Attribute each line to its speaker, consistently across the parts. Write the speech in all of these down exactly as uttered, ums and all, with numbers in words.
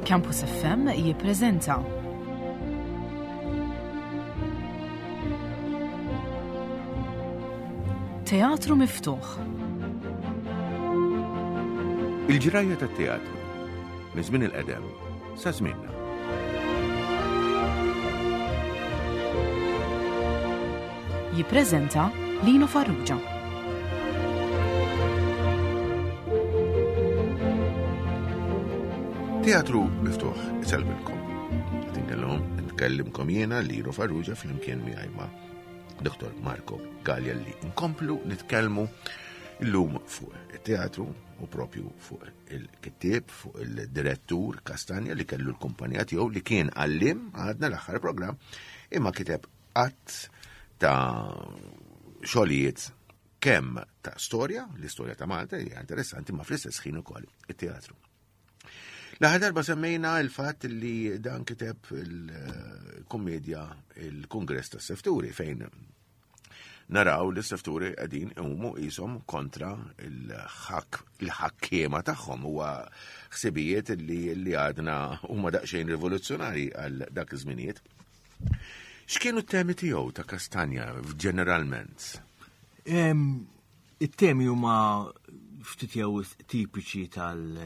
Speaker 1: Campus F M jippreżenta Teatru Miftuħ.
Speaker 2: Il-ġrajja tat-teatru minn żmien il-qedem sa żmienna.
Speaker 1: Jippreżenta Lino Farrugia.
Speaker 2: Teatru Miftuħ isellmilkom. Qed inkellem, nkellimkom jiena Lino Farrugia flimkien miegħi ma' Doktor Marco Galea li nkomplu nitkellmu llum fuq it-teatru u propju fuq il-kittieb, fuq il-direttur Castagna li kellu l-kumpanija tiegħu li kien għallim għadna l-aħħar programm imma kiteb qatt ta' xogħlijiet kemm ta' storja, l-istorja ta' Malta hija interessanti, ma fl-istess ħin ukoll it-teatru. L-aħħar darba semmejna il-fatt li dan kiteb il-kommedja il-Kungress tas-Sefturi fejn naraw li s-sefturi qegħdin iqumu qishom kontra il-ħak-, il-ħakkiema tagħhom. Huwa ħsibijiet li, li għadna huma daqsxejn rivoluzzjonari għal dak iż-żminijiet. X'kienu t-temi tiegħu ta' Castagna ġeneralment?
Speaker 3: Em, it-temi huma ftit jew tipiċi tal-,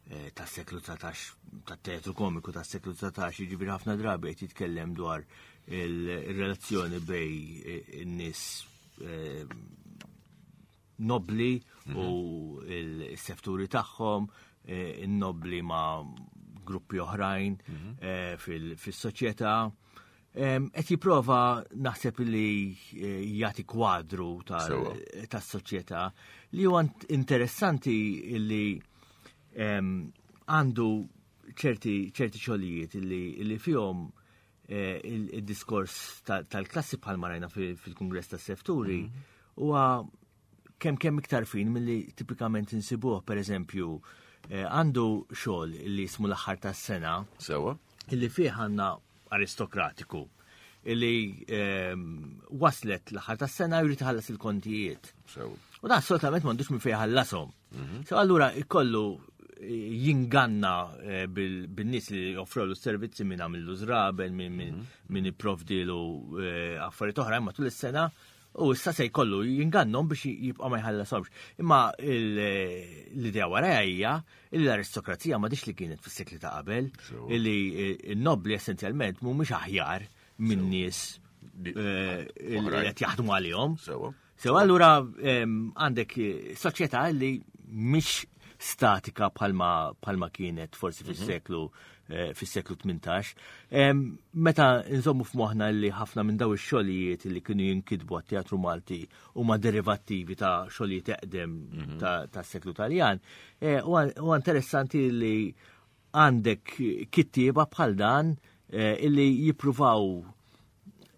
Speaker 3: eh, tas-seklu dsatax, tat-teatru komiku tas-seklu dsatax, jiġifieri ħafna drabi qed jitkellem dwar il-relazzjoni bej in-nies, eh, nobli u
Speaker 2: Mhm.
Speaker 3: il-sefturi tagħhom, eh, in-nobli ma' gruppi oħrajn,
Speaker 2: Mhm.
Speaker 3: eh, fil-, fis-soċjetà. Em, qed jipprova naħseb li, eh, jagħti kwadru tal-
Speaker 2: Sewwa.
Speaker 3: tas-soċjetà li huwa int-, interessanti li, em, għandu ċerti, ċerti xogħlijiet li, li fihom, eh, il-, il-diskors ta-, tal-klassi bħalma rajna fil-, fil-Kungress tas-Sefturi
Speaker 2: Mhm.
Speaker 3: huwa kemm kemm iktar fin milli tipikament insibuh. Per eżempju, eh, għandu xogħol li jismu l-aħħar tas-sena.
Speaker 2: Sewwa.
Speaker 3: Illi fih għandna aristokratiku illi, ehm, waslet l-aħħar tas-sena jrid iħallas il-kontijiet.
Speaker 2: Sewwa.
Speaker 3: U dan assolutament m'għandux minn fejn iħallashom.
Speaker 2: Mhm.
Speaker 3: So allura ikollu jinganna, eh, bil-, bin-nies li joffrewlu s-servizzi minn għamillu żraben, minn, minn,
Speaker 2: Mhm.
Speaker 3: minn ipprovdilu, eh, affarijiet oħra, imma tul is-sena u issa se jkollu jingannhom biex jibqa' ma jħallashomx. Imma il-, eh, l-idea wara hija li l-aristokrazija m'għadix li kienet fis-sekli ta' qabel,
Speaker 2: Sewwa.
Speaker 3: illi n-nobli essenzjalment mhumiex aħjar minn
Speaker 2: Sewwa.
Speaker 3: nies,
Speaker 2: Di-
Speaker 3: eh, li
Speaker 2: oħrajn.
Speaker 3: qed jaħdmu għalihom.
Speaker 2: Sewwa.
Speaker 3: Sew allura, ehm, għandek soċjetà li mhix statika bħalma, bħalma kienet forsi
Speaker 2: Mhm.
Speaker 3: fis-seklu, eh, fis-seklu tmintax. Em, meta nżommu f'moħħna li ħafna minn daw ix-xogħlijiet li kienu jinkitbu għat-teatru Malti huma derivattivi ta' xogħlijiet eqdem
Speaker 2: Mhm.
Speaker 3: ta', tas-seklu Taljan, eh, huwa, huwa interessanti li għandek kittieba bħal dan, eh, illi jippruvaw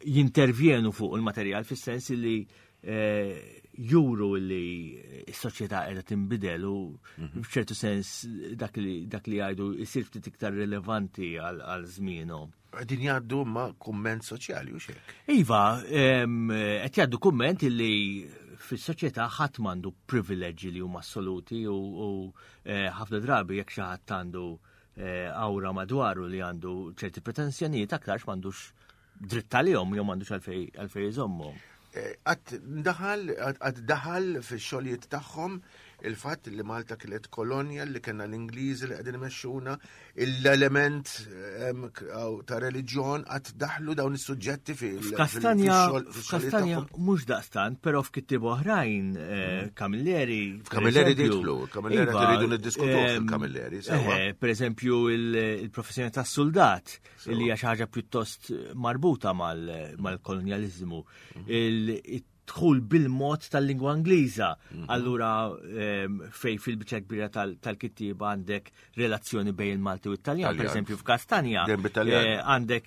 Speaker 3: jintervjenu fuq il-materjal fis-sens li, eh, juru li s-soċjetà qiegħda tinbidel u
Speaker 2: Mhm.
Speaker 3: f'ċertu sens dak li, dak li jgħidu jsir ftit iktar rilevanti għal, għal żmienhom.
Speaker 2: Qegħdin jgħaddu ma' kumment soċjali u x'hekk?
Speaker 3: Iva, em, qed jgħaddu kumment li fis-soċjetà ħadd m'għandu privileġġi li huma assoluti u, u, eh, ħafna drabi jekk xi ħadd għandu, eh, awra madwaru li għandu ċerti pretensjonijiet aktarx m'għandux dritt għalihom jew m'għandux għalfej, għalfej iżommhom.
Speaker 2: Eh, għad daħal, għad, għad daħal fix-xogħlijiet tagħhom il-fatt li Malta kienet kolonja li kellna l-Ingliżi li qegħdin imexxuna, l-element, ehm, k-, aw, ta' reliġjon għad daħlu dawn is-suġġetti fil-, fil-,
Speaker 3: F'Kastanja,
Speaker 2: fil-xogħol, fix-xogħlijiet
Speaker 3: f'Kastanja
Speaker 2: tagħhom.
Speaker 3: mhux daqstant, però f'kittieb oħrajn, eh,
Speaker 2: Mm.
Speaker 3: Camilleri, per
Speaker 2: F'Camilleri
Speaker 3: eżempju.
Speaker 2: didħlu, Camilleri
Speaker 3: Iva,
Speaker 2: qed iridu niddiskutuh
Speaker 3: ehm,
Speaker 2: fil-Camilleri, sewwa.
Speaker 3: eh, per eżempju, il-, il-professjoni tas-soldat,
Speaker 2: Sewwa.
Speaker 3: li hija xi ħaġa pjuttost marbuta mal-, mal-kolonjaliżmu.
Speaker 2: Mm.
Speaker 3: Il-, dħul bil-mod tal-lingwa Ingliża.
Speaker 2: Mhm.
Speaker 3: Allura, ehm, fej fil-biċċa kbira tal-, tal-kittieba għandek relazzjoni bejn il-Malti u it-Taljan. Per
Speaker 2: Taljan.
Speaker 3: eżempju, f'Kastanja,
Speaker 2: Dejjem bit-Taljan.
Speaker 3: eh, għandek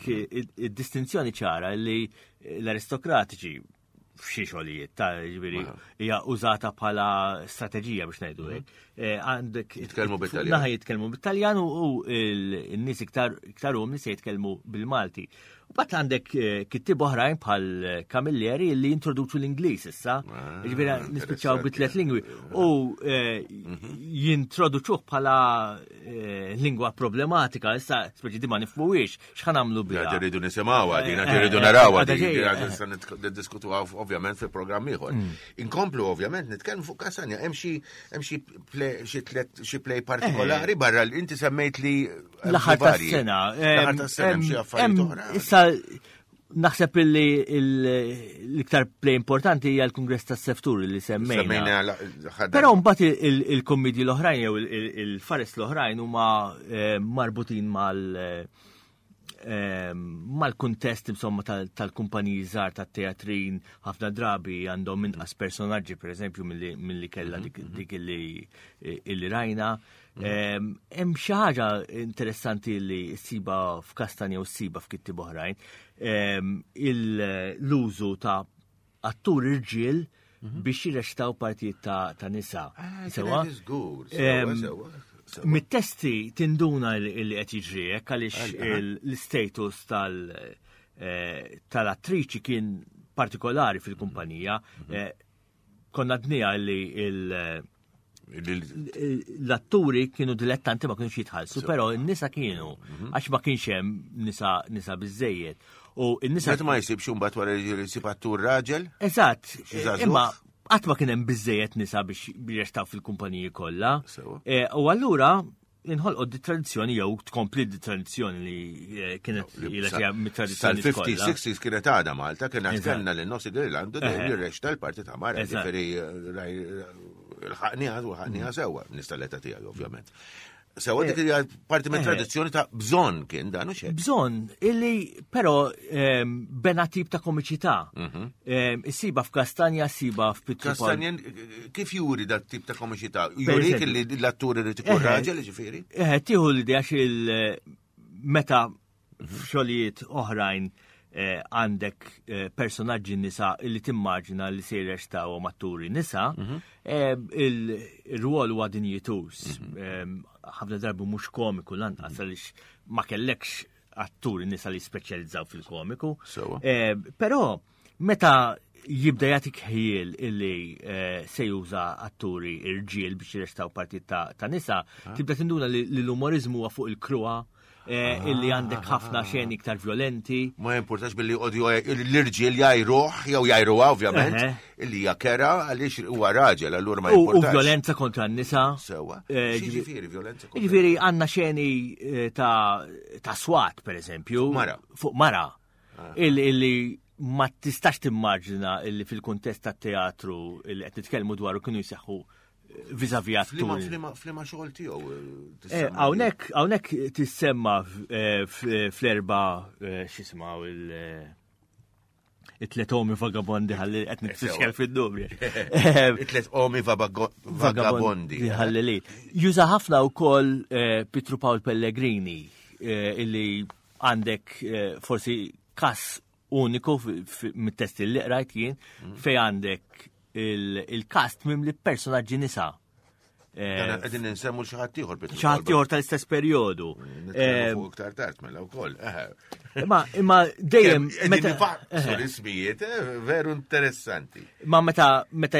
Speaker 3: id-distinzjoni ċara li l-aristokratiċi f'xi xogħlijiet ta' ġifieri
Speaker 2: Aha.
Speaker 3: hija użata bħala strateġija biex ngħidu hekk.
Speaker 2: Mhm.
Speaker 3: Eh, għandek
Speaker 2: Jitkellmu bit-Taljan.
Speaker 3: Naħa jitkellmu bit-Taljan u, u il-, in-nies iktar, iktar umli se jitkellmu bil-Malti. Bat għandek eh, kittib oħrajn bħal Camilleri li introduċu l-Ingliż issa,
Speaker 2: Ah,
Speaker 3: ġifieri nispiċċaw bi tliet lingwi u eh,
Speaker 2: Mhm.
Speaker 3: jintroduċuh bħala eh, lingwa problematika, issa speċi di ma nifhmuhiex x'ħa nagħmlu biha.
Speaker 2: Għad irridu nisimgħuha, din għad
Speaker 3: Eh,
Speaker 2: irridu
Speaker 3: eh,
Speaker 2: narawha,
Speaker 3: għadha
Speaker 2: din
Speaker 3: ġejja,
Speaker 2: għad
Speaker 3: eh.
Speaker 2: nista' nitk- niddiskutuha ovvjament fil-programm ieħor. Inkomplu ovvjament nitkellmu fuq Kastanja, hemm xi hemm xi play xi tliet xi play partikolari barra li inti semmejt li hemm
Speaker 3: L-aħħar
Speaker 2: xi varji.
Speaker 3: tas-sena.
Speaker 2: L-aħħar tas-sena hemm xi affarijiet oħra.
Speaker 3: Issa naħseb illi il- l-iktar play importanti hija l-Kungress tas-Seftur li semmejna.
Speaker 2: Semmejna l-aħħar
Speaker 3: Però mbagħad il- il- il-kommedji l-oħrajn jew il- il- il-fares l-oħrajn huma eh, marbutin mal eh, eh, mal-kuntest insomma tal- tal-kumpaniji żgħar tat-teatrin ħafna drabi għandhom inqas personaġġi pereżempju milli milli kellha dik dik illi illi rajna. Eh, Hemm xi ħaġa interessanti li ssiba f'Kastanja u ssiba f'kittib oħrajn, eh, il- l-użu ta' attur irġiel biex jirrextaw partijiet ta' ta' nisa.
Speaker 2: Ah,
Speaker 3: Sewa?
Speaker 2: kienet żgur, sewa,
Speaker 3: Em,
Speaker 2: sewa, sewa.
Speaker 3: Mit-testi tinduna li li qed jiġri hekk għaliex il- l-status tal- eh, tal-attriċi kien partikolari fil-kumpanija. Eh, Konna dnija li il-
Speaker 2: Il-
Speaker 3: l-atturi kienu dilettanti ma kienux jitħallsu, però n-nisa kienu, għax ma kienx hemm nisa nisa biżejjed. U n-nisa
Speaker 2: Meta ma jsibx imbagħad wara li jsib attur raġel?
Speaker 3: Eżatt,
Speaker 2: Xi żagħżugħ?
Speaker 3: imma qatt ma kien hemm biżejjed nisa biex jirrestaw fil-kumpaniji kollha.
Speaker 2: Sewa.
Speaker 3: Eh, U allura inħolqod di tradizzjoni jew tkompli di tradizzjoni li eh, kienet ilha hija mit-tradizzjoni
Speaker 2: Sal-fifties,
Speaker 3: kollha.
Speaker 2: sixties kienet għada Malta, kienet
Speaker 3: Eżatt.
Speaker 2: kellna lil Nossi Girlando dejjem
Speaker 3: Eħe.
Speaker 2: jirrexta l-parti ta' mara,
Speaker 3: Eżatt.
Speaker 2: ġifieri l-ħaqniha u ħaqniha sewwa, nista' l-età tiegħi ovvjament. Sewwa dik hija parti minn
Speaker 3: Eh.
Speaker 2: tradizzjoni ta' bżonn kien dan u xejn.
Speaker 3: Bżonn illi però ehm, bena tip ta' komiċità. Ehm, Issiba f'Kastanja, siba f'Pietru Pawl.
Speaker 2: Kastanjen, kif juri dat tip ta' komiċità? Jurik
Speaker 3: eżempju.
Speaker 2: li l-attur irid ikun
Speaker 3: Eħe.
Speaker 2: raġel, ġifieri?
Speaker 3: Eh, tieħu l-idea xil meta f'xogħlijiet oħrajn eh, għandek eh, personaġġi nisa illi timmaġina li se jirrextaw atturi nisa, eh, il- il-rwol huwa dinjituż. Eh, Ħafna drabi mhux komiku lanqas għaliex ma kellekx atturi nisa li speċjalizzaw fil-komiku.
Speaker 2: Sewa.
Speaker 3: Eh, Però meta jibda jagħtik ħiel illi eh, se juża atturi irġiel biex jirrestaw partit ta', ta' nisa, tibda tinduna li li l-umorizmu huwa fuq il-kruha, eh, illi għandek ħafna xeni iktar violenti.
Speaker 2: Ma jimportax billi jqogħdu l-irġiel jajruh jew jajruha ovvjament,
Speaker 3: Eħe.
Speaker 2: illi hija kera għaliex huwa raġel, allura ma
Speaker 3: U, u
Speaker 2: jimportax.
Speaker 3: violenza kontra n-nisa.
Speaker 2: Sewa.
Speaker 3: Eh,
Speaker 2: Xi
Speaker 3: ġifi-
Speaker 2: ġifieri violenza kontra
Speaker 3: Ġifieri għandna xeni eh, ta', ta' swat, per eżempju.
Speaker 2: Fuq mara.
Speaker 3: Fuq mara. Illi, illi ma tistax timmaġina illi fil-kuntest tat teatru illi qed nitkellmu dwaru kienu jseħħu vis-a-vis
Speaker 2: Flima,
Speaker 3: atturi.
Speaker 2: flima, flima xogħol tiegħu. eh,
Speaker 3: Eh,
Speaker 2: tissemma
Speaker 3: Hawnhekk hawnhekk tissemma eh, f- fl-erba eh, x'ismaw il- eh, it-tlet omi vagabondi ħalli qed nitfixkel fid-numri. Eh,
Speaker 2: It-tlet omi vabago- vagabondi.
Speaker 3: Ħalli li. Juża ħafna wkoll eh, Pietru Pawl Pellegrini eh, illi għandek eh, forsi kas uniku fi- fi- mit-testi li qrajt jien fej għandek il- il-kast mimli personaġġi nisa. Eh,
Speaker 2: Dan Qegħdin insemmu xi ħadd ieħor Pietru
Speaker 3: xi ħadd
Speaker 2: Pawl.
Speaker 3: ieħor tal-istess perjodu.
Speaker 2: Nitkellmu
Speaker 3: Eh,
Speaker 2: fuq iktar tard mela wkoll. Eħe.
Speaker 3: Imma imma dejjem
Speaker 2: Qegħdin
Speaker 3: meta
Speaker 2: nifaqsu l-ismijiet, eh, veru interessanti.
Speaker 3: ma meta meta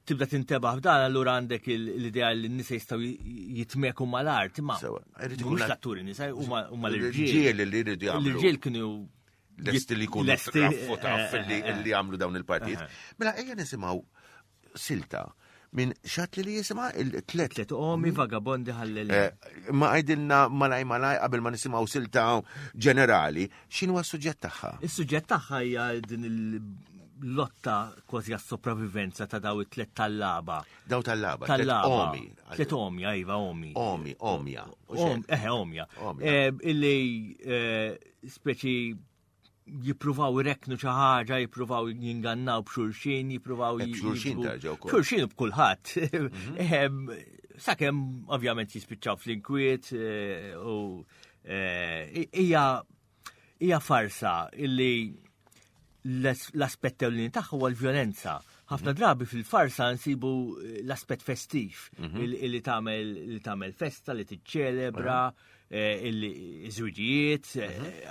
Speaker 3: tibda tintebaħ f'dan allura għandek il- l-idea li n-nisa jistgħu jitmeku mal-art, imma
Speaker 2: Sewa, irid ikun
Speaker 3: mhux
Speaker 2: l-
Speaker 3: l-atturi nisa huma huma l-irġiel.
Speaker 2: L-irġiel li jridu jagħmlu.
Speaker 3: L-irġiel kienu
Speaker 2: Lesti li jkunu
Speaker 3: lesti,
Speaker 2: traffu taf
Speaker 3: eh,
Speaker 2: li
Speaker 3: eh,
Speaker 2: li jagħmlu dawn il-partijiet. Mela ejja nisimgħu silta minn xat li li jisima il-tlet.
Speaker 3: Tlet omi vagabondi ħallel.
Speaker 2: Eh, Ma għajdilna malaj malaj qabel ma nisimgħu silta ġenerali, x'inhu s-suġġett tagħha?
Speaker 3: Is-suġġett tagħha hija din il-lotta kważi għas-sopravivenza ta' daw it-tlet tallaba.
Speaker 2: Daw tal-laba, tlet
Speaker 3: Tallaba.
Speaker 2: omi.
Speaker 3: Tlet omja, iva omi.
Speaker 2: Omi, omja. U
Speaker 3: Om,
Speaker 2: xejn.
Speaker 3: eħe, omja.
Speaker 2: Omja.
Speaker 3: Eh, Illi eh, speċi jippruvaw ireknu xi ħaġa, jippruvaw jingannaw b'xulxin, jippruvaw
Speaker 2: Eh, b'xulxin
Speaker 3: jiġbu-
Speaker 2: tarġa' wkoll.
Speaker 3: Xulxin u b'kulħadd. Ehm, Sakemm ovvjament jispiċċaw fl-inkwiet eh, u eh, hija hija farsa illi l-aspett ewlieni tagħha huwa l-vjolenza. Ħafna drabi fil-farsa nsibu eh, l-aspett festiv il- illi tagħmel li tagħmel festa, li tiċċelebra, il-żwiġijiet,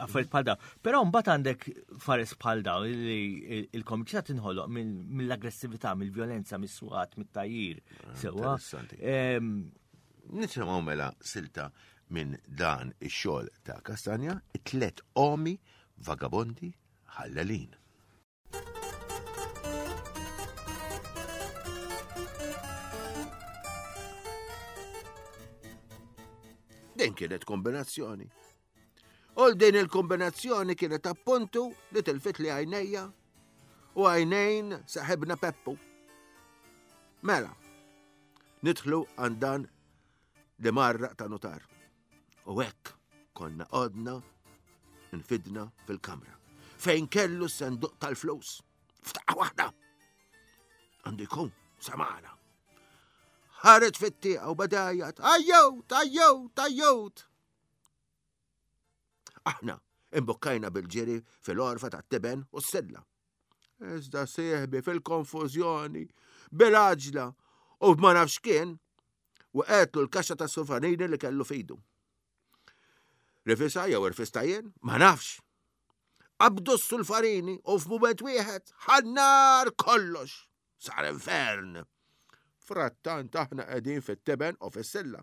Speaker 3: affarijiet bħal dawn. Però mbagħad għandek fares bħal dawn li il-komiċità tinħoloq mill-aggressività, mill-vjolenza, mis-swat, mit-tajjir. Sewwa.
Speaker 2: Nisimgħu mela silta minn dan ix-xogħol ta' Castagna, it-tliet omi vagabondi ħallalin. Din kienet kombinazzjoni. U din il-kombinazzjoni kienet appuntu li tilfit li għajnejja u għajnejn saħibna Peppu. Mela, nidħlu għandan li marra ta' notar. U hekk konna qodna nfidna fil-kamra. Fejn kellu s-senduq tal-flus. Ftaqa waħda. Għandu jkun samana. Ħareġ fit-tieqa u badajat, ajjut, ajjut, ajjut. Aħna imbukkajna bil-ġiri fil-orfa tat-tiben u s-silla. Iżda sieħbi fil-konfużjoni, bil-għaġla u ma nafx kien, u qetlu l-kaxxa ta' sulfanini li kellu fidu. Rifisa jew irfista jien, ma nafx. Qabdu s-sulfarini u f'mument wieħed ħannar kollox. Sar infern. Frattant aħna qegħdin fit-tiben u fis-silla.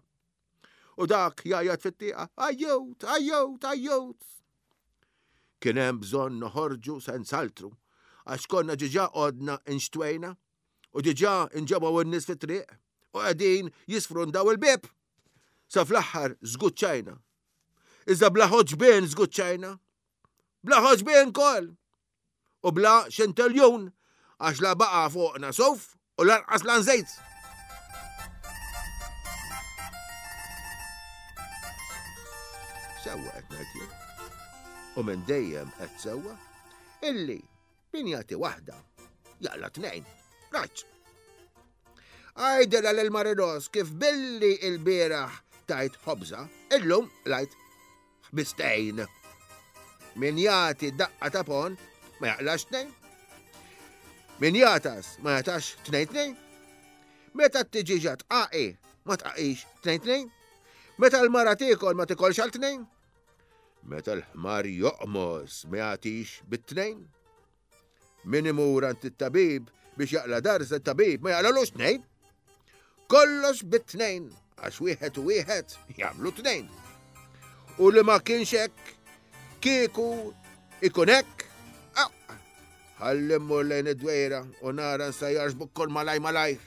Speaker 2: U dak jgħajjat fit-tieqa, ajjut, ajjut, ajjut. Kien hemm bżonn noħorġu sensaltru, għax konna ġiġa qodna inxtwejna u ġiġa inġabgħu n-nies fit-triq u qegħdin jisfrundaw il-bieb. Sa fl-aħħar żguċċajna. Iżda bla ħoġbien żguċċajna. Bla ħoġbien kol. U bla xinteljun għax la baqa' fuqna suf u lanqas lan żejt. Sewwa qed ngħid jien. U minn dejjem qed sewwa illi min jagħti waħda jaqla tnejn. Raġġ. Għajdela lil Marinos kif billi l-bieraħ tajt ħobża, illum lajt ħbistejn. Min jagħti daqqa ta' pon ma jaqlax tnejn. Min jatas ma jatax tnejn tnejn. Meta t-tiġiġa tqaqi ma tqaqix tnejn tnejn. Meta l-mara tiekol ma tikolx għal tnejn. Meta l-ħmar joqmos ma jagħtix bit-tnejn. Min imur għand it-tabib biex jaqla darsa t-tabib ma jaqlalux tnejn. Kollox bit-tnejn għax wieħed u wieħed jagħmlu tnejn. U li ma kienx hekk kieku ikun hekk. Ħalli mmur lejn id-dwejra u nara nsajjarx bukkol malaj malajr.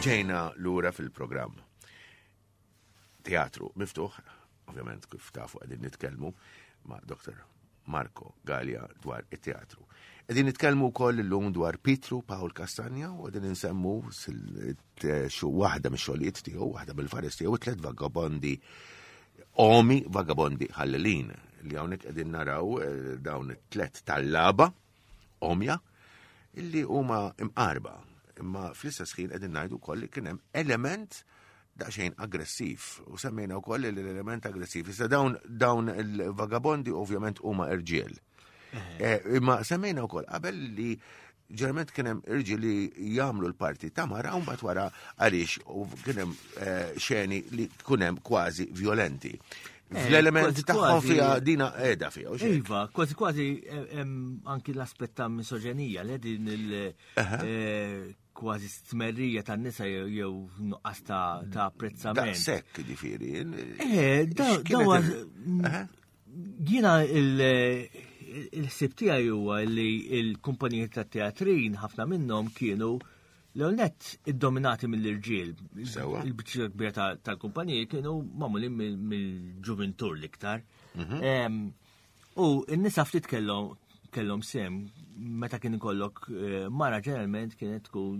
Speaker 2: Ġejna lura fil-programm. Teatru miftuħ, ovvjament kif tafu qegħdin nitkellmu ma' Doktor Marco Galea dwar it-teatru. Qegħdin nitkellmu wkoll illum dwar Pietru Pawl Castagna u qegħdin insemmu waħda mix-xogħlijiet tiegħu, waħda mill-fares tiegħu, tliet vagabondi omi vagabondi ħallelin li hawnhekk qegħdin naraw dawn it-tlet tallaba omja illi huma imqarba. Imma fl-istess ħin qegħdin ngħidu wkoll li kien hemm element daqsxejn aggressiv u semmejna wkoll li l-element aggressiv. Issa dawn dawn il-vagabondi ovvjament huma irġiel. Imma semmejna wkoll qabel li ġeneralment kien hemm irġiel li jagħmlu l-parti ta' mara u mbagħad wara għaliex u kien hemm xeni li kien hemm kważi violenti. Fl-element tagħhom fiha dina qiegħda fiha.
Speaker 3: Iva, kważi kważi anki l-aspett ta' misoġenija li din il kważi stmerrija tan-nisa jew nuqqas ta' apprezzament.
Speaker 2: Daqshekk ġifieri.
Speaker 3: Eh, dawa jiena il-ħsieb tiegħi huwa li l-kumpaniji tat-teatrin ħafna minnhom kienu l-ewwel nett iddominati mill-irġiel. Il-biċċa kbira tal-kumpaniji kienu magħmulin mill-ġuventur l-iktar. U n-nisa ftit kellhom kellhom sem meta kien ikollok mara ġeneralment kienet tkun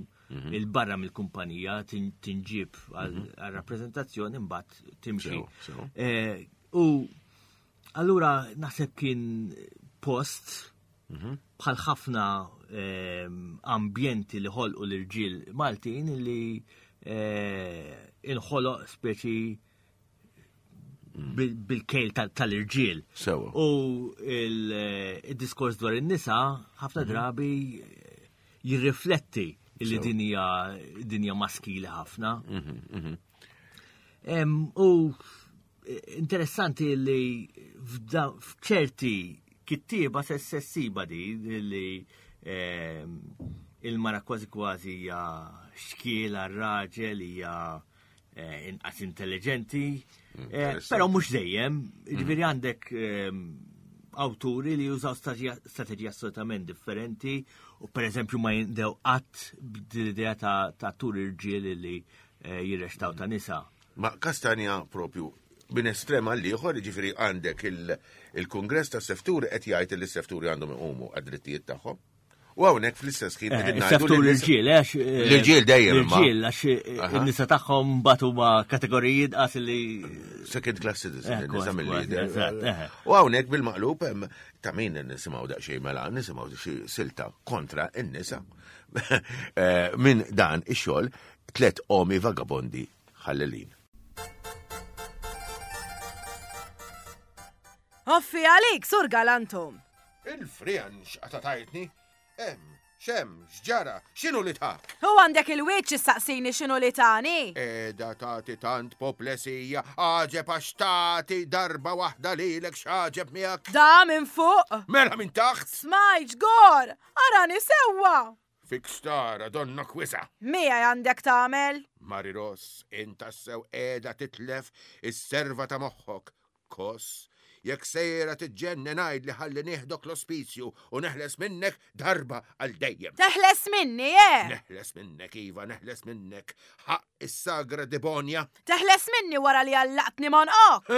Speaker 3: il-barra mill-kumpanija tinġib għal-rappreżentazzjoni mbagħad timxi. U allura naħseb kien post bħal ħafna ambjenti li ħolqu l-irġiel Maltin li inħoloq speċi bil-kejl tal-irġiel. U il-diskors dwar in-nisa ħafna drabi jirrifletti Illi
Speaker 2: So-
Speaker 3: din hija dinja maskili ħafna.
Speaker 2: Mhm,
Speaker 3: Em, U eh, interessanti li f'da- f'ċerti kittieba se ssiba di li em, il-mara kważi kważi hija xkiel għar-raġel, hija eh, inqas intelligenti, eh,
Speaker 2: Interessanti.
Speaker 3: però mhux dejjem, jiġifieri għandek em, awturi li jużaw strateġija strateġija assolutament differenti u per eżempju ma jindew qatt b'din-idea ta' ta' tur irġiel li eh, jirrextaw ta' nisa.
Speaker 2: Ma Kastanja propju minn estrem għal ieħor, jiġifieri għandek il- il-Kongress ta' Sefturi qed jgħid li s-sefturi għandhom iqumu għad-drittijiet tagħhom. U hawnhekk fl-istess ħin qegħdin ngħidu
Speaker 3: Seftur
Speaker 2: li n-nisa-
Speaker 3: l-irġiel, għax. eh,
Speaker 2: L-irġiel dejjem imma.
Speaker 3: L-irġiel, għax eh,
Speaker 2: Aha.
Speaker 3: in-nisa tagħhom batu ma' kategoriji dqas li.
Speaker 2: Second class citizen,
Speaker 3: Eh,
Speaker 2: nisa
Speaker 3: kważi,
Speaker 2: mill-lider.
Speaker 3: kważi, eżatt, eh.
Speaker 2: U hawnhekk bil-maqlub hemm ta' min nisimgħu daqsxejn mela nisimgħu xi silta kontra n-nisa. Eh, Minn dan ix-xogħol tliet omi vagabondi ħallelin.
Speaker 4: Offi għalik, sur galantum.
Speaker 2: Il-frijan x'qata tajtni? Hemm, xem, x'ġara, x'inhu li tak?
Speaker 4: U għandek il-wiċċ issaqsini x'inhu li tani.
Speaker 2: Eda tati tant poplesija, għaġeb għax tati darba waħda lilek x'għaġeb miegħek.
Speaker 4: Da minn fuq.
Speaker 2: Mela minn taħt.
Speaker 4: Smajġ gor, arani sewwa.
Speaker 2: Fik stara donna kwisa.
Speaker 4: Mija għandek tagħmel.
Speaker 2: Mari Ross, inta sew qiegħda titlef is-serva ta' moħħok. Kos, jekk sejra tiġġennen ngħid li ħalli nieħdok l-ospizju u neħles minnek darba għal dejjem.
Speaker 4: Teħles minni, eh?
Speaker 2: Neħles minnek, Iva, neħles minnek. Ħaq is-sagra Debonja.
Speaker 4: Teħles minni wara li għallaqtni monqok.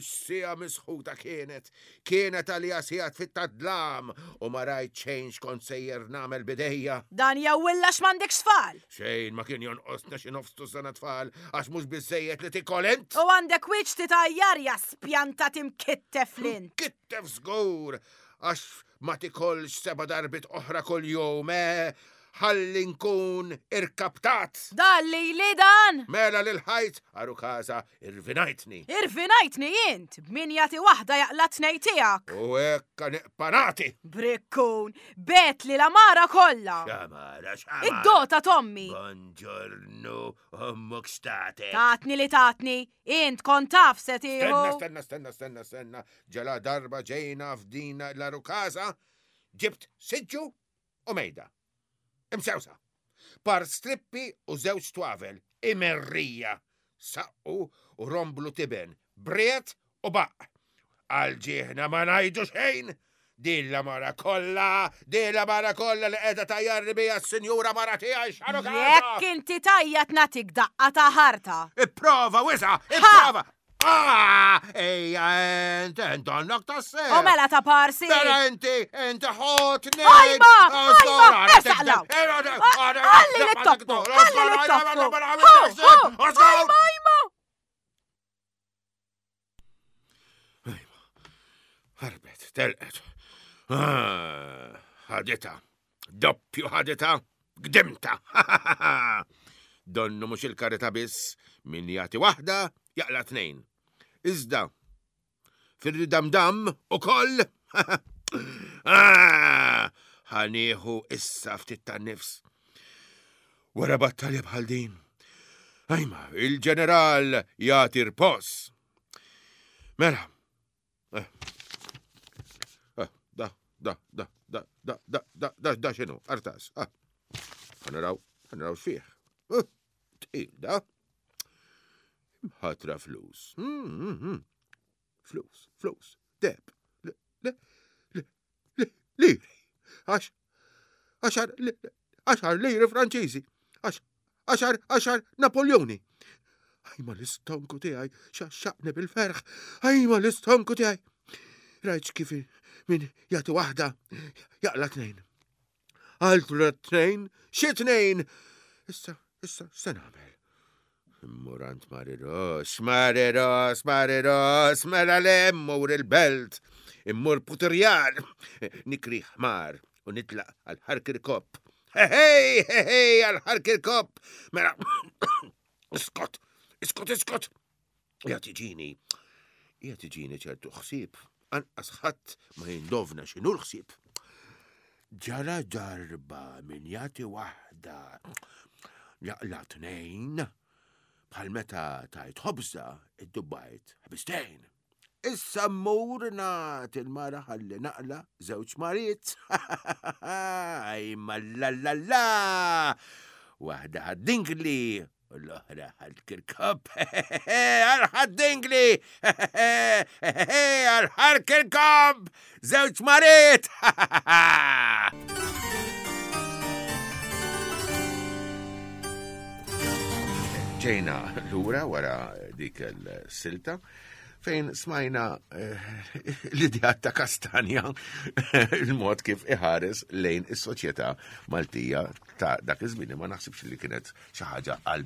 Speaker 2: X'sija misħuta kienet. Kienet għalija sija fit-tadlam u ma rajt xejn x'kont sejjer nagħmel bidejja.
Speaker 4: Dan jawwilla x'm'għandekx tfal.
Speaker 2: Xejn ma kien jonqosna xi nofs tużana tfal għax mhux biżejjed li tikol int.
Speaker 4: U għandek wiċċ titajjar ja spjanta timkittef lint.
Speaker 2: Kittef żgur għax ma tikolx seba' darbit oħra kuljum, eh? Ħalli nkun irkaptat.
Speaker 4: Dan li li dan.
Speaker 2: Mela lil ħajt għaru kaza irvinajtni.
Speaker 4: Irvinajtni int, b'min jagħti waħda jaqla tnej tiegħek.
Speaker 2: U hekk niqpanati.
Speaker 4: Brikkun, bet li l-amara kollha.
Speaker 2: Xamara, xamara.
Speaker 4: Id-dota tommi.
Speaker 2: Buongiorno, ommok state.
Speaker 4: Tatni li tatni, int kont taf se tieħu.
Speaker 2: Stenna, stenna, stenna, stenna, stenna. Ġala darba ġejna f'dina l-arukaza, ġibt siġġu u mejda. Imsewsa. Par strippi u żewġ twavel, imerrija, saqqu u romblu tiben, briet u baq. Għalġieħna ma najdu xejn. Din la mara kollha, din la mara kollha li qiegħda tajjarni bija s-sinjura mara tiegħi x'aru
Speaker 4: Jekk inti tajjat natik daqqa ta' ħarta.
Speaker 2: Ipprova, wisa, ipprova. Ah, ejja, ent, ent, għandek tassew.
Speaker 4: U mela ta' parsi.
Speaker 2: Mela inti, inti ħotni.
Speaker 4: Ajma, ajma, ersaqlaw. Għalli li toppu, għalli li toppu. Hu, hu, Ajma, ajma.
Speaker 2: Ħarbet, telqet. Ah, Ħadita, doppju ħadita, gdimta. Donnu mhux il-karita biss, min jagħti waħda, jaqla tnejn. Iżda, fir-ridamdam u koll. Ah, Ħanieħu issa ftit tan-nifs. Wara battalja bħal din. Ajma, il-ġeneral jagħti rpos. Mela. Eh. Eh, Da, da, da, da, da, da, da, da, da, xinu, artas. Ah. Ħanaraw, ħanaraw xfih. Eh, Tqil, da. Ħatra flus. Mm, mm, mm. Flus, flus, deb. Le, le, le, le, liri. Għax, għaxar, li- għaxar liri franċiżi. Għax, għaxar, għaxar Napoleoni. Ajma l-istonku tiegħi, xaxxaqni bil-ferħ. Ajma l-istonku tiegħi. Rajt kif min jagħti waħda, jaqla tnejn. Altru tnejn, xi tnejn. Issa, issa, se nagħmel. Immur għand Mariros, Mariros, Mariros, mela le immur il-belt, immur Putirjar, nikri ħmar u nitlaq għal ħarkirkop. Hej, hej, għal ħarkirkop. Mela, iskot, iskot, iskot. Jgħat iġini, jgħat iġini ċertu ħsieb, anqas ħadd ma jindovna x'inhu l-ħsieb. Ġara darba min jagħti waħda jaqla tnejn, bħal meta tajt ħobża id-dubbajt ħbistejn. Issa mmur nagħti il-mara ħalli naqla żewġ mariet. Ajma la la la! Waħda ħad-dingli u l-oħra ħal-kirkop. Għal-ħad-dingli! Għal-ħal-kirkop! Żewġ mariet! Ġejna lura wara dik il-silta fejn smajna l-idea ta' Kastanja, il-mod kif iħares lejn is-soċjetà Maltija ta' dak iż-żmien. Ma naħsibx li kienet xi ħaġa għal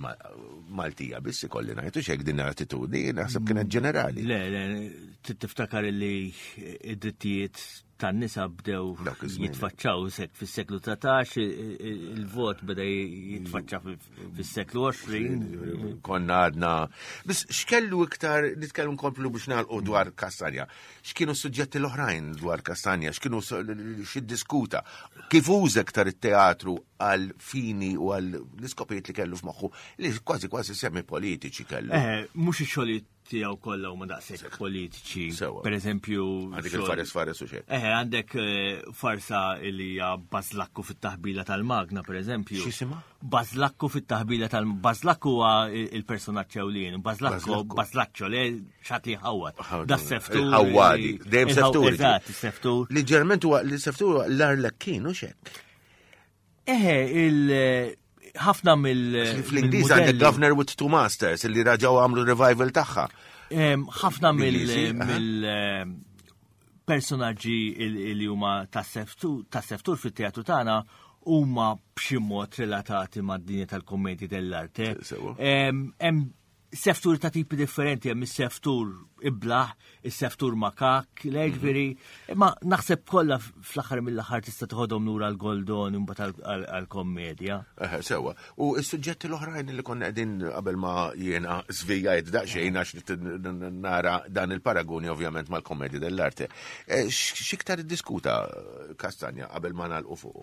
Speaker 2: Maltija biss, ikolli ngħidu x'hekk din l-attitudni naħseb kienet ġenerali.
Speaker 3: Le, le, tiftakar li id-drittijiet tan-nisa bdew jitfaċċaw fis-seklu dsatax, il-vot beda jitfaċċa fis-seklu għoxrin.
Speaker 2: Konna għadna. Biss x'kellu iktar nitkellmu nkomplu biex nagħlqu dwar Kastanja. X'kienu s-suġġetti l-oħrajn dwar Kastanja? X'kienu x'iddiskuta? Kif uża iktar it-teatru għal fini u għal l-iskopijiet li kellu f'moħħu li kważi kważi semi politiċi kellu?
Speaker 3: Eh, mhux ix-xogħlijiet tiegħu kollha huma daqshekk politiċi. Per eżempju,
Speaker 2: għandek il-fares fares u xejn.
Speaker 3: Eh, għandek farsa li hija Bażlakku fit-taħbila tal-magna, per eżempju.
Speaker 2: X'isimha?
Speaker 3: Bażlakku fit-taħbila tal Bażlakku huwa il-personaġġ ewlien, Bażlakku, Bażlaċċo le xat li ħawwad. Da seftur.
Speaker 2: Ħawwadi, dejjem seftur.
Speaker 3: Eżatt, seftur.
Speaker 2: Li ġerment huwa li seftur huwa l-Arlekkin u xek.
Speaker 3: Eħe, il- ħafna mill
Speaker 2: Fl-Ingliż għandek Governor with Two Masters li raġaw għamlu revival tagħha.
Speaker 3: Ħafna mill personaġġi li huma tas-seftur fit-teatru tagħna huma b'xi mod relatati mad-dinja tal-kommedji dell'arte. Hemm seftur ta' tipi differenti, hemm is-seftur iblaħ, is-seftur makak, l-ġifieri, imma naħseb kollha fl-aħħar mill-aħħar tista' toħodhom lura l-Goldoni mbagħad għall-kommedja.
Speaker 2: Eh, sewa. U s-suġġetti l-oħrajn li konna qegħdin qabel ma jiena żvijajt daqsxejn għax nara dan il-paragoni ovvjament mal-kommedja dell'arte. X'iktar iddiskuta Kastanja qabel ma nagħlqu fuqu?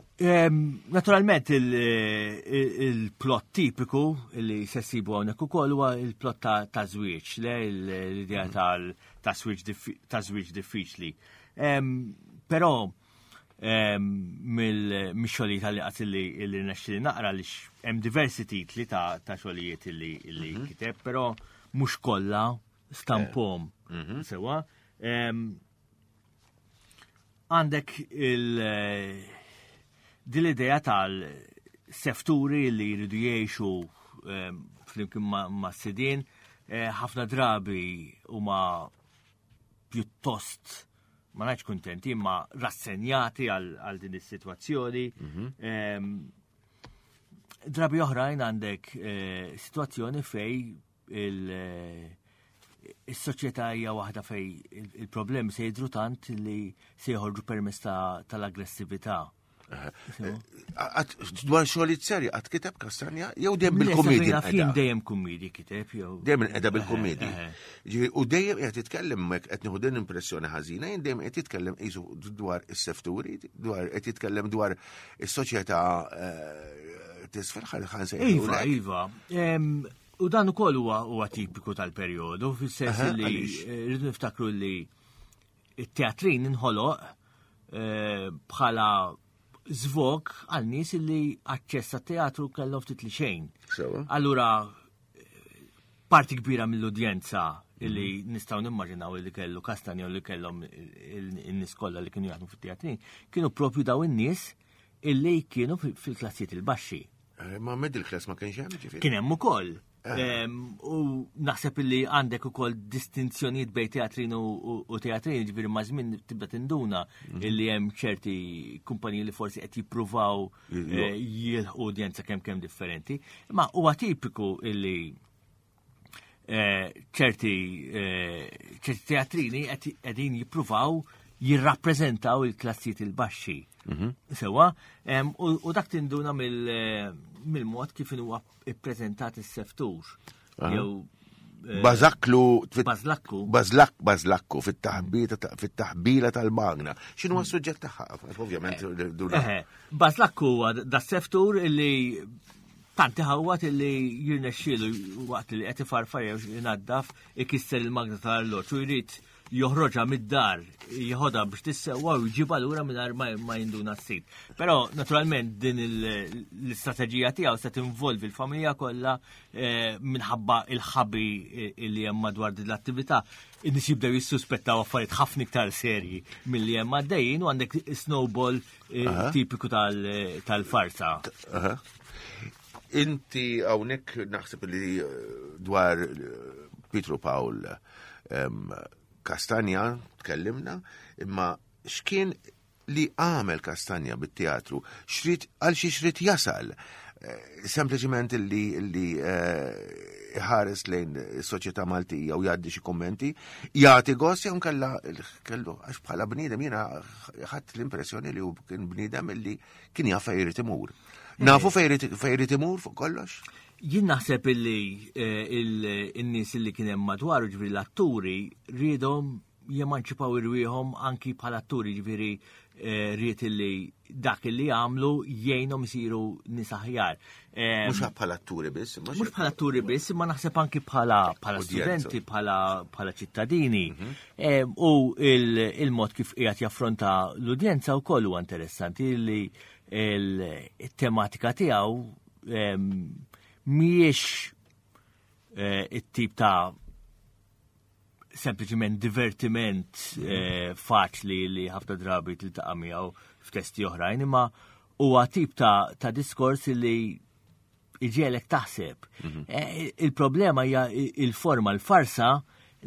Speaker 3: Naturalment il-plot tipiku li se ssibu hawnhekk ukoll huwa il-plot ta' żwieġ, le l-idea ta' żwieġ diffiċli. Però mill-xogħlijiet li qatt li rnexxieli naqra li hemm diversi titli ta' xogħlijiet li kiteb, però mhux kollha stampom. Sewa. Għandek din l-idea tal-sefturi li jridu jgħixu flimkien ma' sidien, ħafna drabi huma pjuttost ma ngħidx kuntenti imma rassenjati għal din is-sitwazzjoni. Drabi oħrajn għandek sitwazzjoni fej is-soċjetà hija waħda fej il-problemi se jidhru tant li se joħorġu permezz tal-aggressività.
Speaker 2: Dwar xogħlijiet serji qatt kiteb Kastanja jew dejjem bil-kummedja?
Speaker 3: Jien dejjem kummedji kiteb jew
Speaker 2: dejjem qiegħda bil-kummedji. Ġifieri u dejjem qed jitkellem hekk qed nieħu din impressjoni ħażina, jien dejjem qed jitkellem qisu dwar is-sefturi, dwar qed jitkellem dwar is-soċjetà tisfel ħan se
Speaker 3: Iva, iva. U dan ukoll huwa tipiku tal-perjodu, fis-sens li rridu niftakru li t-teatrin inħoloq bħala żvog għal nies li aċċess għat-teatru kellhom ftit li xejn. Allura parti kbira mill-udjenza li nistgħu nimmaġinaw li kellu Kastanja u li kellhom in-nies kollha li kienu jaħdmu fit-teatrin, kienu propju daw in-nies illi kienu fil-klassijiet il-baxxi.
Speaker 2: Ma middle class ma kienx hemm ġifieri.
Speaker 3: Kien hemm ukoll. U naħseb illi għandek ukoll distinzjonijiet bejn teatrin u teatrin, ġifieri ma' żmien tibda tinduna illi hemm ċerti kumpaniji li forsi qed jippruvaw jilħqu udjenza kemm kemm differenti. Imma huwa tipiku illi ċerti ċerti teatrini qegħdin jippruvaw jirrappreżentaw il-klassijiet il-baxxi. Sewa, u dak tinduna mill-mod kif huwa ippreżentat is-seftur. Jew
Speaker 2: Bażaklu
Speaker 3: Bażlakku.
Speaker 2: Bażlak bażlakku fit-taħbila tal-magna. X'inhu s-suġġett tagħha? Ovvjament
Speaker 3: duna. Bażlakku huwa da seftur illi tanti ħawat illi jirnexxielu waqt li qed ifarfar jew inaddaf ikisser il-magna tal-arloġġ u jrid joħroġha mid-dar, jieħodha biex tissewwa u jġibha lura mingħajr ma jinduna s-sid. Però naturalment din l-istrateġija tiegħu se tinvolvi l-familja kollha minħabba il-ħabi li hemm madwar din l-attività. In-nies jibdew jissuspettaw affarijiet ħafna iktar serji milli hemm għaddejjin u għandek snowball tipiku tal-farsa.
Speaker 2: Inti hawnhekk naħseb li dwar Pietru Pawl Castagna tkellimna, imma x'kien li għamel Castagna bit-teatru, xrid għal xi xrid jasal, sempliċiment li li ħares lejn is-soċjetà Maltija u jgħaddi xi kummenti, jagħti gost jew kella kellu għax bħala bniedem jiena ħadd l-impressjoni li hu kien bniedem li kien jaf fejn irid imur. Nafu fejn irid imur fuq kollox?
Speaker 3: Jien naħseb illi in-nies illi kien hemm madwaru, ġifieri l-atturi, riedhom jemanċipaw irwieħhom anki bħala atturi, ġifieri ried illi dak illi għamlu jgħinhom isiru nies aħjar.
Speaker 2: Mhux bħala atturi biss,
Speaker 3: mhux bħala atturi biss, imma naħseb anki bħala studenti, bħala ċittadini. U il-mod kif qiegħed jaffronta l-udjenza wkoll huwa interessanti li il-tematika tiegħu mhijiex it-tip ta' sempliċiment divertiment faċli li ħafna drabi tiltaqa' miegħu f'testi oħrajn, imma huwa tip ta' ta' diskors li iġiegħlek taħseb. Il-problema hija il-forma, l-farsa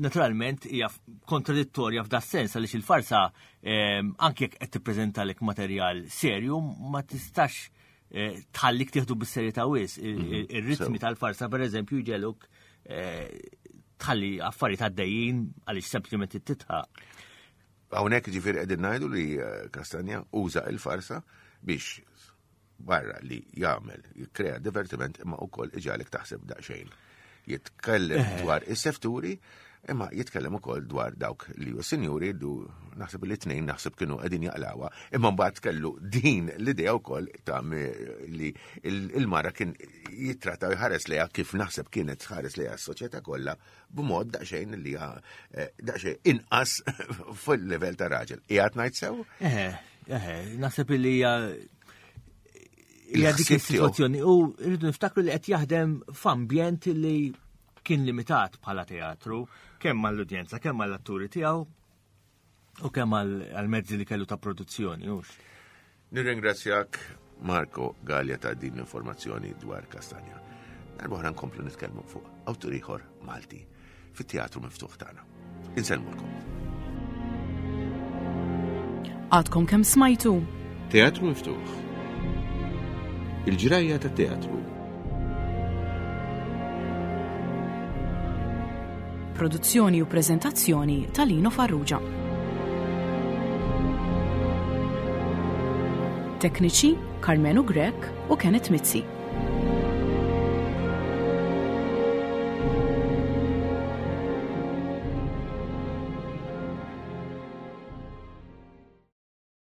Speaker 3: naturalment hija kontradittorja f'da sens għaliex il-farsa anke jekk qed tippreżentalek materjal serju ma tistax tħallik tieħdu bis-serjetà wis. Ir-ritmi tal-farsa pereżempju jġeluk tħalli affarijiet għaddejjin għaliex sempliċement titħaq.
Speaker 2: Hawnhekk ġifieri qegħdin ngħidu li Castagna uża il-farsa biex barra li jagħmel jikkrea divertiment imma wkoll iġagħlek taħseb daqsxejn. Jitkellem dwar is-sefturi imma jitkellem ukoll dwar dawk li hu sinjuri du naħseb li tnejn naħseb kienu qegħdin jaqlawha, imma mbagħad kellu din l-idea wkoll ta' li il-mara kien jittratta jħares lejha kif naħseb kienet tħares lejha s-soċjetà kollha b'mod daqsxejn li daqsxejn inqas fil-livell ta' raġel. Qiegħed ngħid sew?
Speaker 3: Eħe, eħe, naħseb li hija hija dik is-sitwazzjoni u rridu niftakru li qed jaħdem f'ambjent li kien limitat bħala teatru, kemm għall-udjenza, kemm għall-atturi tiegħu u kemm għall-mezzi li kellu ta' produzzjoni, hux.
Speaker 2: Nirringrazzjak Marco Galea ta' din l-informazzjoni dwar Castagna. Darba oħra nkomplu nitkellmu fuq awtur ieħor Malti fit-teatru miftuħ tagħna. Insellmulkom.
Speaker 1: Għadkom kemm smajtu?
Speaker 2: Teatru Miftuħ. Il-ġrajja tat-teatru.
Speaker 1: Produzzjoni u prezentazzjoni ta' Lino Farrugia. Tekniċi Carmenu Grech u Kenneth Mizzi.